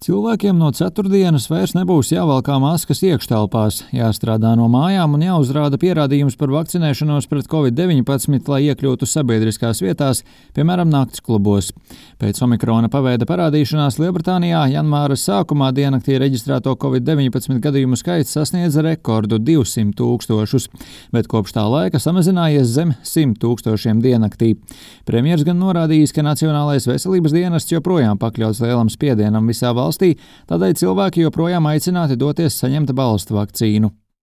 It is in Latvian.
Cilvēkiem no ceturtdienas vairs nebūs jāvalkā maskas iekštelpās, jāstrādā no mājām un jāuzrāda pierādījums par vakcinēšanos pret Covid-19, lai iekļūtu sabiedriskās vietās, piemēram, nakts klubos. Pēc omikrona paveida parādīšanās Lielbritānijā janvāra sākumā diennaktī reģistrēto Covid-19 gadījumu skaits sasniedza rekordu 200 000, bet kopš tā laika samazinājies zem 100 000 diennaktī. Premjers gan norādījis, ka Nacionālais veselības dienests joprojām pakļauts lielam spiedienam visā valstī, tādēļ cilvēki joprojām aicināti doties saņemt balstu vakcīnu.